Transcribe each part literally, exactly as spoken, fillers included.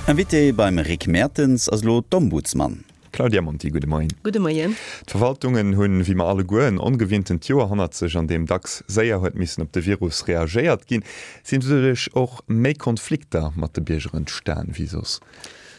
Invité beim Rick Mertens ass elo d'Ombudsman. Claudia Monti, gudde Moien. Gudde Moien. D'Verwaltungen hunn, wéi mer alleguer, en ongewinntent Joer hannert sech, an deem dacks séier huet missen op de Virus reagéiert ginn. Sinn doduerch och méi Konflikter mat de Bierger entstan wéi soss?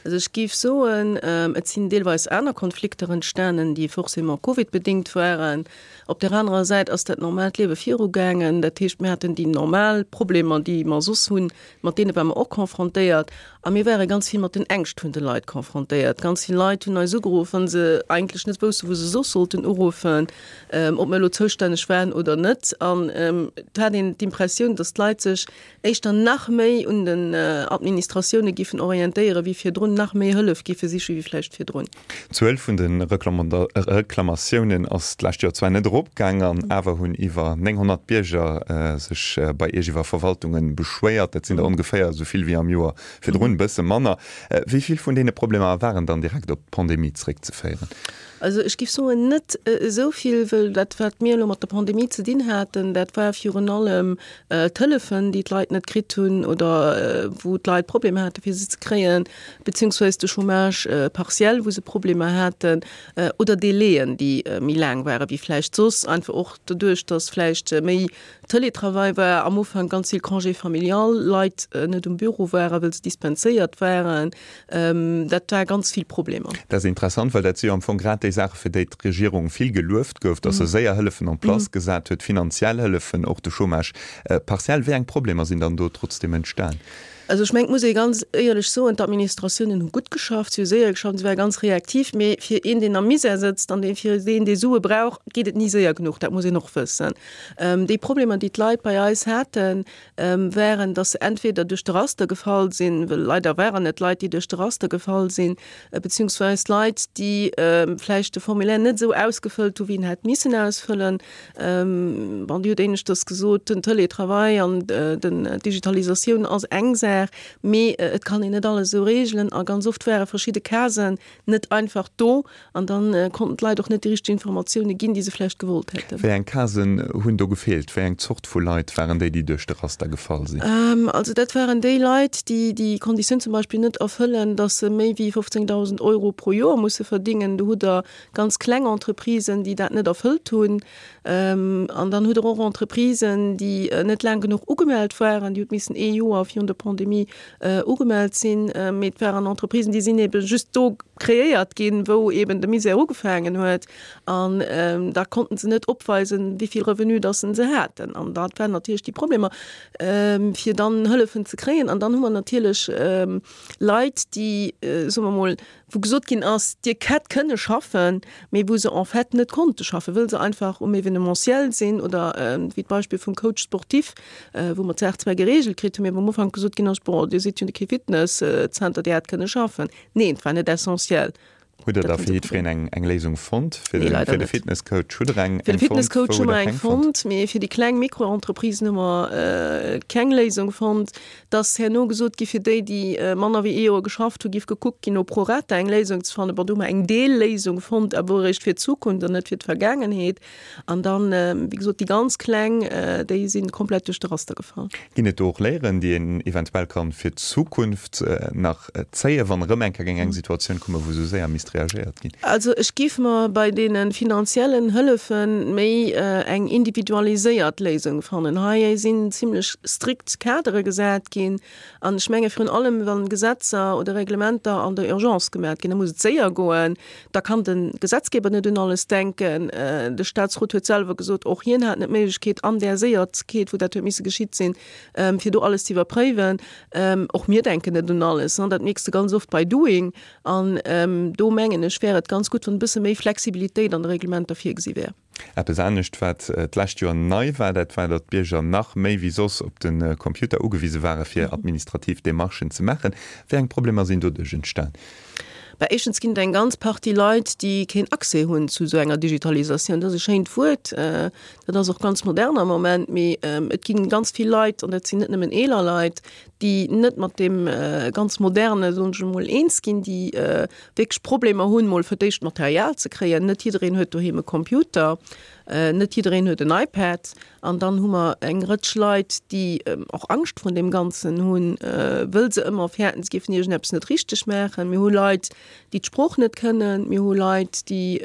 Also ech géif soen, et sinn deelweis aner Konflikter entstanen, déi forcément covidbedéngt waren. Op där anerer Säit ass dat normaalt Liewe virugaangen. Dat heescht, mir haten déi normal Problemer, déi mer soss hunn, mat deene ware mer och confrontéiert. A mir ware ganz vill mat den Ängscht vun de Leit confrontéiert. Ganz vill Leit hunn eis ugeruff, wa se eigentlech net woussten, wou se soss sollten uruffen, ob mir elo zoustänneg waren oder net. An et hat een d'Impressioun, datt d'Leit sech éischter nach méi un den Administratioune giffen orientéieren, wéi virdrun, nach méi Hëllef giffe siche wéi vläicht virdrun. D'Zuel vun de Reklamatiounen ass d'lescht Joer zwar net eropgaang, an awer hunn iwwer nénghonnert Bierger sech bei Iech iwwer Verwaltunge beschwéiert. Dat sinn der ongeféier esou vill wéi am Joer virdrun, e bësse manner. Wéi vill vun deene Problemer waren dann direkt op d'Pandemie zeréckzeféieren? Also ech géif soen, net esou vill, wëll dat, wat mir elo mat der Pandemie ze dinn haten, dat war virun allem d'Hëllefen, déi d'Leit net kritt hunn oder wou d'Leit Problemer hate fir se ze kréien, beziehungsweise de Chômage partiel, wou se Problemer haten, oder Délaiën, déi méi laang ware wéi vläicht soss, einfach och doduerch, datt vläicht méi Télétravail war, am Ufank ganz vill Congé familial, Leit net um Büro waren, wëll se dispenséiert waren. Dat war ganz vill Problemer. Dat ass interessant, well dat si jo am Fong grad déi Saache fir déi d'Regierung vill gelueft gouf, datt se séier Hëllefen en place gesat huet, finanziell Hëllefen, och de Chômage partiel. Wéi eng Problemer sinn dann do trotzdeem entstan? Also ech mengen, et muss ee ganz éierlech soen, d'Administratiounen hu gutt geschafft, si hu séier geschafft, si ware ganz reaktiv. Mee fir een, deen am Misär sëtzt an dee fir deen, dee Sue brauch, geet et ni séier genuch. Dat muss een och wëssen. Déi Problemer, déi d'Leit bei eis haten, waren, datt se entweder duerch de Raster gefall sinn, well leider waren et Leit, déi duerch de Raster gefall sinn, beziehungsweis Leit, déi vläicht de Formulaire net esou ausgefëllt hu wéi en hätt missen ausfëllen. Bon, Dir hutt éineschters gesot, den Teletravail an den d'Digitalisatioun ass eng Saach, mee et kann een net alles esou reegelen a ganz oft ware verschidde Casen net einfach do an da konnten d'Leit och net déi richteg Informatioune ginn, déi se vläicht gewollt hätten. Wéi eng Casen hunn do gefeelt? Wéi eng Zort vu Leit waren déi, déi duerch de Raster gefall sinn? Also dat waren déi Leit, déi déi Konditioun zum Beispill net erfëllen, datt se méi wéi fofzéngdausend Euro pro Joer musse verdingen. Do hutt Der ganz kleng Entreprisen, déi dat net erfëllt hunn. An dann hutt Der och Entreprisen, déi net laang genuch ugemellt waren, déi huet missen ee Joer virun der Pandemie ugemellt sinn. Mee et waren Entreprisen, déi sinn ebe just do kreéiert ginn, wou eben de Misär ugefaangen huet. An da konnten se net opweisen, wéi vill Revenu dass se haten. An dat waren natierlech déi Problemer, fir dann Hëllefen ze kréien. An dann hu mer natierlech Leit, déi, soe mer emol, wou gesot ginn ass, Dir hätt kënne schaffen, mee wou se en fait net konnte schaffen, wëll se einfach um Événementiel sinn oder wéi d'Beispill vum Coach sportif, wou mer d'Saach zwar geregelt kritt hunn, mee wou am Ufank gesot ginn ass, Bon, Dir sidd jo kee Fitnesszenter, Dir hätt kënne schaffen. Neen, et war net essentiel. Hutt Der da fir jiddwereen eng, eng Léisung fonnt? Fir Nee, de, leider fir de net. Fitnesscoach hutt Der eng, Fir de eng fonnt? Fitnesscoach Wou hu hutt mer Der eng keng fonnt? fonnt, mee fir déi kleng Mikroentreprisen hu mer keng Léisung fonnt. Et ass herno gesot gi fir déi, déi manner wéi ee Joer geschafft hu, giff gekuckt ginn, no pro rata eng Léisung ze fannen. Bon, do hu mer eng Deelléisung fonnt, awer eréischt fir d'Zukunft an net fir d'Vergaangenheet. An dann, wéi gesot, déi ganz kleng, déi si komplett duerch de Raster gefall. Ginn et do och Léieren, déi een eventuell kann fir d'Zukunft nach zéien, wann erëm eng Kéier géing eng Situatioun kommen, wou esou séier misst reagéiert ginn? Also ech géif mer bei deene finanziellen Hëllefe méi eng individualiséiert Léisung fannen. Hei sinn zimlech strikt Kadere gesat ginn an ech menge virun allem, wa Gesetzer oder Reglementer an der Urgence gemat ginn, da muss et séier goen, da kann de Gesetzgeber net un alles denken. De Statsrot huet selwer gesot, och hien hat net d'Méiglechkeet an där Séiertkeet, wou dat huet misse geschitt sinn, fir do alles ze iwwerpréiwen. Och mir denken net un alles, dat mierks de ganz oft bei Doing. An do mengen ech, wär et ganz gutt, wann e bësse méi Flexibilitéit an de Reglementer virgesi wär. Eppes anescht, wat d'lescht Joer nei war, dat war, datt d'Bierger nach méi wéi soss op de Computer ugewise ware fir administrativ Demarchen ze maachen. Wéi eng Problemer sinn doduerch entstan? Bah, éischtens ginn et eng ganz Partie Leit, déi keen Accès hunn zu esou enger Digitalisatioun. Dat ass e schéint Wuert, dat ass och ganz modern am Moment, mee et gi ganz vill Leit, an dat sinn net nëmmen eeler Leit, déi net mat deem ganz Moderne, soen ech emol, eens ginn, déi wierklech Problemer hunn, mol fir d'éischt Material ze kréien. Net jiddereen huet doheem e Computer. Net jiddereen huet en iPad. An dann hu mer eng Rëtsch Leit, déi och Angscht vrun deem Ganzen hunn, wëll se ëmmer fäerten, se géifen iergendeppes net richteg maachen. Mir hu Leit, déi d'Sprooch net kënnen. Mir hu Leit, déi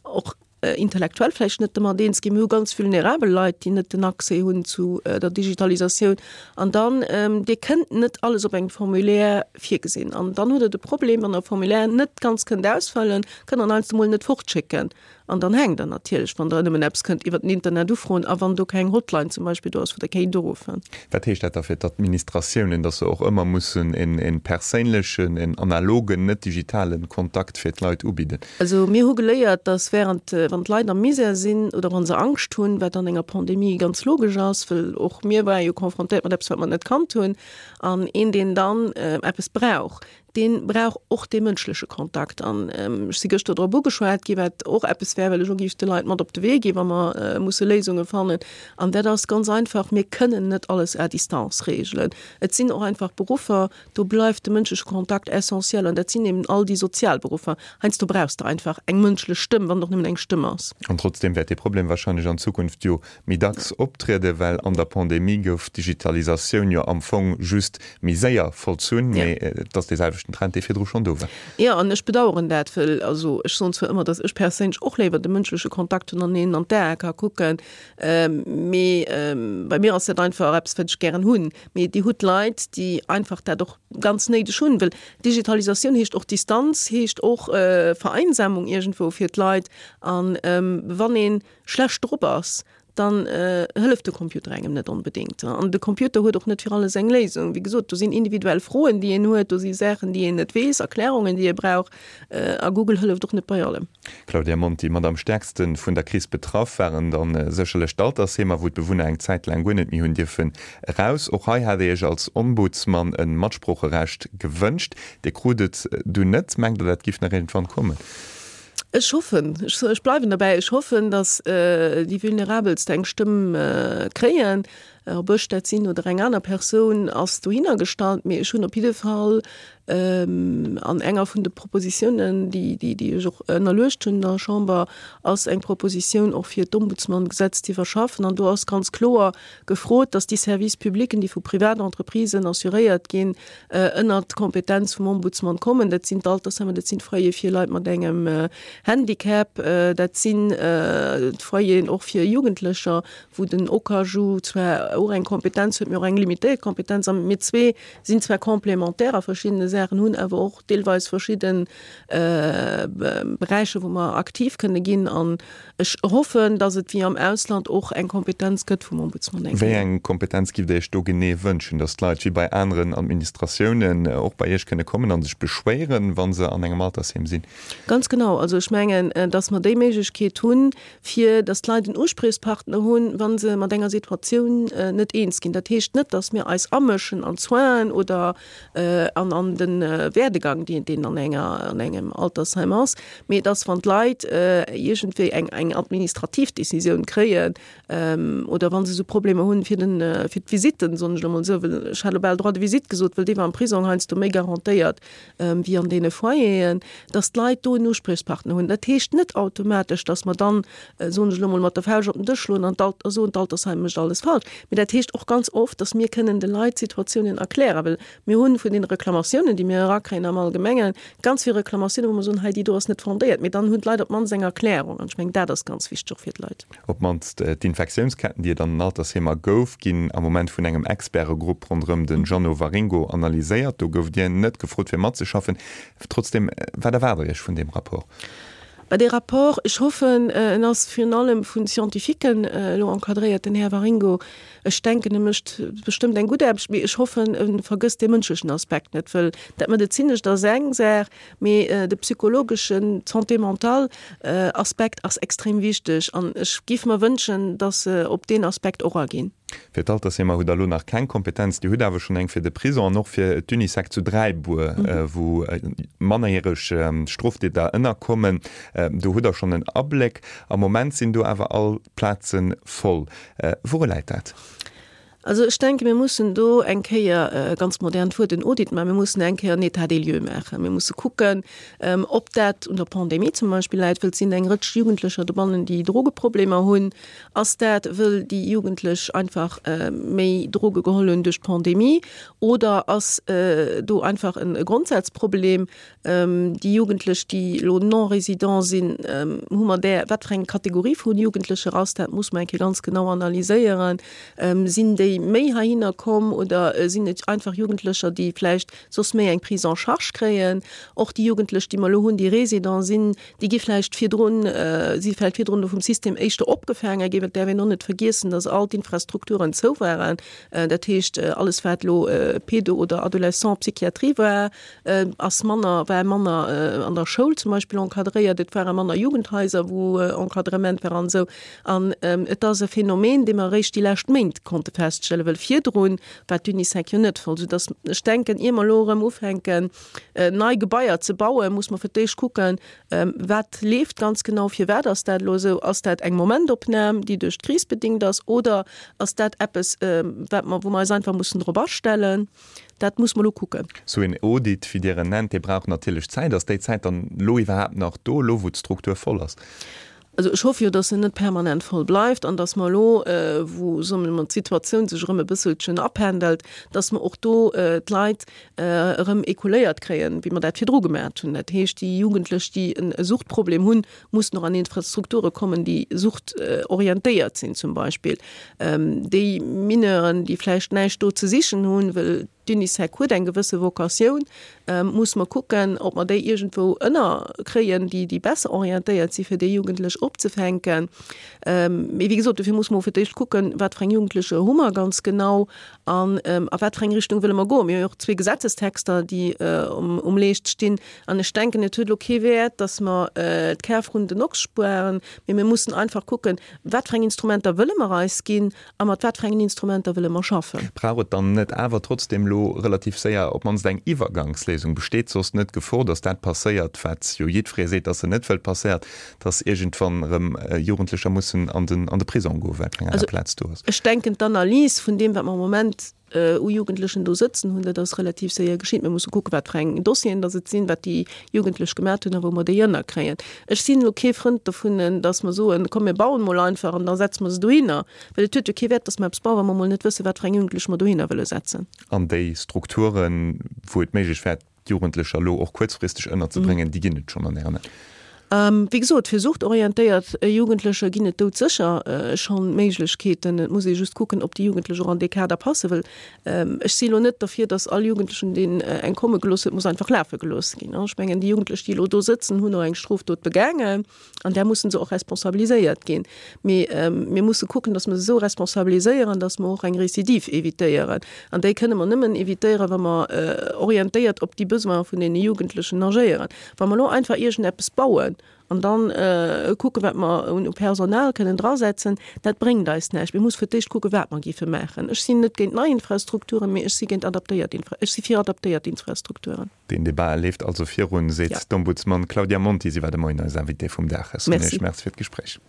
och intellektuell vläicht net domat eens ginn. Mir hu ganz vulnerabel Leit, déi net den Accès hunn zu der Digitalisatioun. An dann, Dir kënnt net alles op engem Formulaire virgesinn. An dann hutt Der de Problem, wann Der e Formulaire net ganz kënnt ausfëllen, kënnt Der en heiansdo mol net fortschécken. An dann hänkt Der natierlech, wann Der nëmmen eppes kënnt iwwer den Internet ufroen a wann do keng Hotline zum Beispill do ass, wou Der kéint uruffen. Wat heescht dat da fir d'Administratiounen, dass se och ëmmer mussen e perséinlechen, en analogen, net digitalen Kontakt fir d'Leit ubidden? Also mir hu geléiert, dass während, wann d'Leit am Misär sinn oder wa se Angscht hunn, wat an enger Pandemie ganz logesch ass, well och mir ware jo confrontéiert mat eppes, wat mer net kannt hunn, an een, deen dann eppes brauch, dee brauch och dee mënschleche Kontakt. An ech si gëschter drop ugeschwat gi wat och eppes wär, wat ech och géif de Leit mat op de Wee ginn, wa mer musse Léisunge fannen, an dat ass ganz einfach, Mir kënnen net alles à distance regelen. Et sinn och einfach Beruffer, do bleift de mënschleche Kontakt essentiel, an dat sinn eben all déi sozial Beruffer. Heiansdo brauchs de einfach eng mënschlech Stëmm, wann et och nëmmen eng Stëmm ass. An trotzdeem wäert dee Problem wahrscheinlech an Zukunft jo méi dacks optrieden, well an der Pandemie gouf d'Digitalisatioun jo am Fong just méi séier vollzunn, mee et ass dee selwechten Trend, dee virdru schonn do war. Jo, an ech bedauern dat, well also ech soen zwar ëmmer, datt ech perséinlech och léiwer de mënschleche Kontakt hunn an een an d'Ae ka kucken, mee bei mir ass dat einfach eppes, wat ech gären hunn. Mee Dir hutt Leit, déi einfach dat och ganz néideg hunn, well Digitalisatioun heescht och Distanz, heescht och Vereinsamung iergendwou fir d'Leit. An wann ee schlecht drop ass, dann hëlleft de Computer engem net onbedéngt. An de Computer huet och net fir alles eng Léisung. Wéi gesot, do sinn individuell Froen, déi een huet, do si Saachen, déi een net weess, Erklärungen, déi ee brauch. A Google hëlleft och net bei allem. Claudia Monti, Mat am stäerkste vun der Kris betraff waren dann sécherlech d'Altersheemer, wou d'Bewunner eng Zäit laang guer net méi hunn dierfen eraus. Och hei hat Dir Iech als Ombudsman e Matsproocherecht gewënscht. Dir krut et dunn net. Mengt Der, dat giff nach iergendwann kommen? Ech hoffen, ech bleiwen derbäi, ech hoffen, datt déi Vulnerabelst eng Stëmm kréien. Ob ech dat sinn oder eng aner Persoun, ass dohinner gestallt. Mee ech hunn op jidde Fall an enger vun de Propositiounen, déi, déi ech och ënnerluecht hunn der Chamber, ass eng Propositioun och fir d'Ombudsman-Gesetz ze iwwerschaffen. An do ass ganz kloer gefrot, datt déi Services publics, déi vu Privatentreprisen assuréiert ginn, ënnert d'Kompetenz vum Ombudsman kommen. Dat sinn d'Altersheimer, dat sinn d'Foyere fir Leit mat engem Handicap, dat sinn d'Foyeren och fir Jugendlecher, wou den OKaju zwar och eng Kompetenz huet, mee och eng limitéiert Kompetenz. A mir zwee sinn zwar complémentaire a verschiddene Saachen, hunn awer och deelweis verschidde Beräicher, wou mer aktiv kënne ginn. An ech hoffen, datt et wéi am Ausland och eng Kompetenz gëtt vum Ombudsman eng Kéier. Wéi eng Kompetenz giff Der Iech do genee wënschen? Datt d'Leit wéi bei aneren Administratiounen och bei Iech kënne kommen a sech beschwéieren, wa se an engem Altersheem sinn? Ganz genau. Also ech mengen, datt mer déi Méiglechkeet hunn, fir datt d'Leit en Uspriechspartner hunn, wa se mat enger Situatioun net eens ginn. Dat heescht net, datt mir eis amëschen an d'Soinen oder an an de Werdegang, deen deen an enger an engem Altersheim ass, mee datt wann d'Leit iergendwéi eng eng administrativ Decisioun kréien oder wa se esou Problemer hunn fir den fir d'Visitten, soen ech elo mol esou, well ech hat elo bal Droit de visite gesot, well dee war am Prisong heiansdo méi garantéiert wéi an deene Foyeren, datt d'Leit do en Uspriechspartner hunn. Dat heescht net automatesch, datt mer dann, soen ech elo mol, mat der Fauscht op den Dësch schloen an d'Alt a soen, d'Altersheim mécht alles falsch. Mee dat heescht och ganz oft, datt mir kënnen de Leit d'Situatiounen erklären, well mir hunn vun deene Reklamatiounen, déi mir erakréien am Allgemengen, ganz vill Reklamatiounen, wou mer soen, hei déi do ass net fondéiert. Mee dann hunn d'Leit op d'mannst eng Erklärung an ech mengen, dat ass ganz wichteg och fir d'Leit. Op d'mannst d'Infektiounsketten, déi et an den Altersheemer gouf, ginn am Moment vun engem Expertegrupp ronderëm de Jeannot Waringo analyséiert. Do gouft Dir net gefrot fir matzeschaffen. Trotzdem, wat erwaart Der Iech vun deem Rapport? Bah, dee Rapport, ech hoffen, en ass virun allem vu Scientifiquen elo encadréiert, den Här Waringo. Ech denken, e mécht bestëmmt eng gutt Aarbecht, mee ech hoffen, e vergësst dee mënschlechen Aspekt net, wëll dat Medezinescht ass eng Saach, mee de psychologeschen, d'Santé mentale Aspekt ass extrem wichteg an ech géif mer wënschen, datt se op deen Aspekt och aginn. Fir d'Altersheemer hutt Der elo nach keng Kompetenz. Dir hutt awer schonn eng fir de Prison an och fir d'Unisec zu Dräibuer, wou mannerjäreg Stroftäter ënnerkommen. Do hutt Der schonn en Abléck. Am Moment sinn do awer all d'Plaze voll. Wouru läit dat? Also ech denke mir mussen do eng Kéier, ganz modernt Wuert, en Audit maachen. Mir mussen eng Kéier en État des lieux maachen. Mir musse kucken, ob dat un der Pandemie zum Beispill läit, wëll et sinn eng Rëtsch Jugendlecher dobannen, déi Drogeproblemer hunn. Ass dat, wëll déi Jugendlech einfach méi Droge geholl hunn duerch d'Pandemie oder ass do einfach e Grondsazproblem? Déi Jugendlech, déi elo Non-résidents sinn, hu mer där, wat fir eng Kategorie vu Jugendlecher ass dat, muss mer eng Kéier ganz genau analyséieren. Sinn déi méi heihinner komm oder sinn et einfach Jugendlecher, déi vläicht soss méi eng Prise en charge kréien? Och déi Jugendlech, déi mer elo hunn, déi Résidents sinn, déi gi vläicht virdrun, si vläicht virdrun vum System éischter opgefaange ginn. Et däerf een och net vergiessen, datt all d'Infrastrukturen zou waren. Dat heescht, alles wat elo Pedo oder Adolescent-Psychiatrie war, ass manner, war manner an der Schoul zum Beispill encadréiert, et ware manner Jugendhaiser, wou Encadrement war an esou. An et ass e Phänomen, dee mer eréischt déi lescht Méint konnte feststellen, well virdru war d'Unisec jo net voll. Soudass ech denken, ier mer elo erëm ufänken, nei Gebaier ze bauen, muss mer fir d'éischt kucken, wat leeft ganz genau, firwat ass dat elo esou, ass dat eng Momentopnam, déi duerch d'Kris bedingt ass, oder ass dat eppes, wat mer, wou mer eis einfach mussen drop astellen. Dat muss mer elo kucken. Sou een Audit, wéi Dir en nennt, dee brauch natierlech Zäit. Ass déi Zäit dann elo iwwerhaapt nach do, elo wou d'Struktur voll ass? Also ech hoffe jo, datt se net permanent voll bleift an datt mer elo, wou, soe mer emol, d'Situatioun sech erëm e bësselchen apendelt, datt mer och do d'Leit erëm écouléiert kréien, wéi mer dat virdru gemaacht hunn. Dat heescht, déi Jugendlech, déi e Suchtproblem hunn, mussen och an Infrastrukture kommen, déi suchtorientéiert sinn zum Beispill. Déi Mineuren, déi vläicht näischt do ze sichen hunn, well d'Unisec huet eng gewësse Vocatioun, musse mer kucken, ob mer déi iergendwou ënnerkréien, déi, déi besser orientéiert si fir déi Jugendlech opzefänken. Mee wéi gesot, dofir musse mer fir d'éischt kucken, wat fir eng Jugendlecher hu mer ganz genau an a wat fir eng Richtung wëlle mer goen. Mir hu jo och zwee Gesetzestexter, déi um, um Leescht stinn. An ech denken, et huet elo kee Wäert, datt mer d'Kär vrun den Ochs spueren, mee mir mussen einfach kucken, wat fir eng Instrumenter wëlle mer eis ginn a mat wat fir engen Instrumenter wëlle mer schaffen. Brauch et dann net awer trotzdem elo relativ séier op d'mannst eng Iwwergangsléisung? Besteet soss net d'Gefor, datt dat passéiert, wat jo jiddweree seet, datt se net wëllt passéiert, datt iergendwann erëm Jugendlecher mussen an den an de Prisong goen, well keng aner Plaz do ass? Also ech denken, d'Analys vun deem, wat mer am Moment u Jugendlechen do sëtzen hunn, dat ass relativ séier geschitt. Mir musse kucken, wat fir eng Dossieren datt et sinn, wat déi Jugendlech gemat hunn a wou mer déi ënnerkréien. Ech sinn elo kee Frënd dovun, datt mer soen, komm mir bauen mol einfach an da setze mer se dohinner. Well et huet jo kee Wäert, datt mer eppes bauen, wa mer mol net wëssen, wat fir eng Jugendlech mer dohinner wëlle setzen. An déi Strukturen, wou et méiglech wär, d'Jugendlecher elo och kuerzfristeg ënnerzebréngen, déi ginn et schonn an Ären Aen? Wéi gesot, fir suchtorientéiert Jugendlecher ginn et doudsécher schonn Méiglechkeeten. Et muss ee just kucken, ob déi Jugendlech och an dee Kader passen. Well ech si elo net derfir, datt all Jugendlechen, deen eng komme gelooss huet, muss einfach lafe gelooss ginn. Ech mengen, déi Jugendlech, déi elo do sëtzen, hunn och eng Strofdot begaangen an där musse se och responsabiliséiert ginn. Mee mir musse kucken, datt mer se esou responsabiliséieren, datt mer och eng Récidive évitéieren. An déi kënne mer nëmmen évitéieren, wa mer orientéiert op déi Besoine vun deene Jugendlechen agéieren. Wa mer elo einfach iergendeppes bauen an dann kucken, wat mer un Personal kënnen drasetzen, dat bréngt eis näischt. Mir musse fir d'éischt kucken, wat mer géife maachen. Ech sinn net géint nei Infrastrukturen, mee ech si géint adaptéiert Infra-, ech si fir adaptéiert Infrastrukturen. Deen Debat leeft also virun, seet d'Ombudsman Claudia Monti. Si war de Moien eis Invitée vum Dag. Ech soen Iech Merci fir d'Gespréich.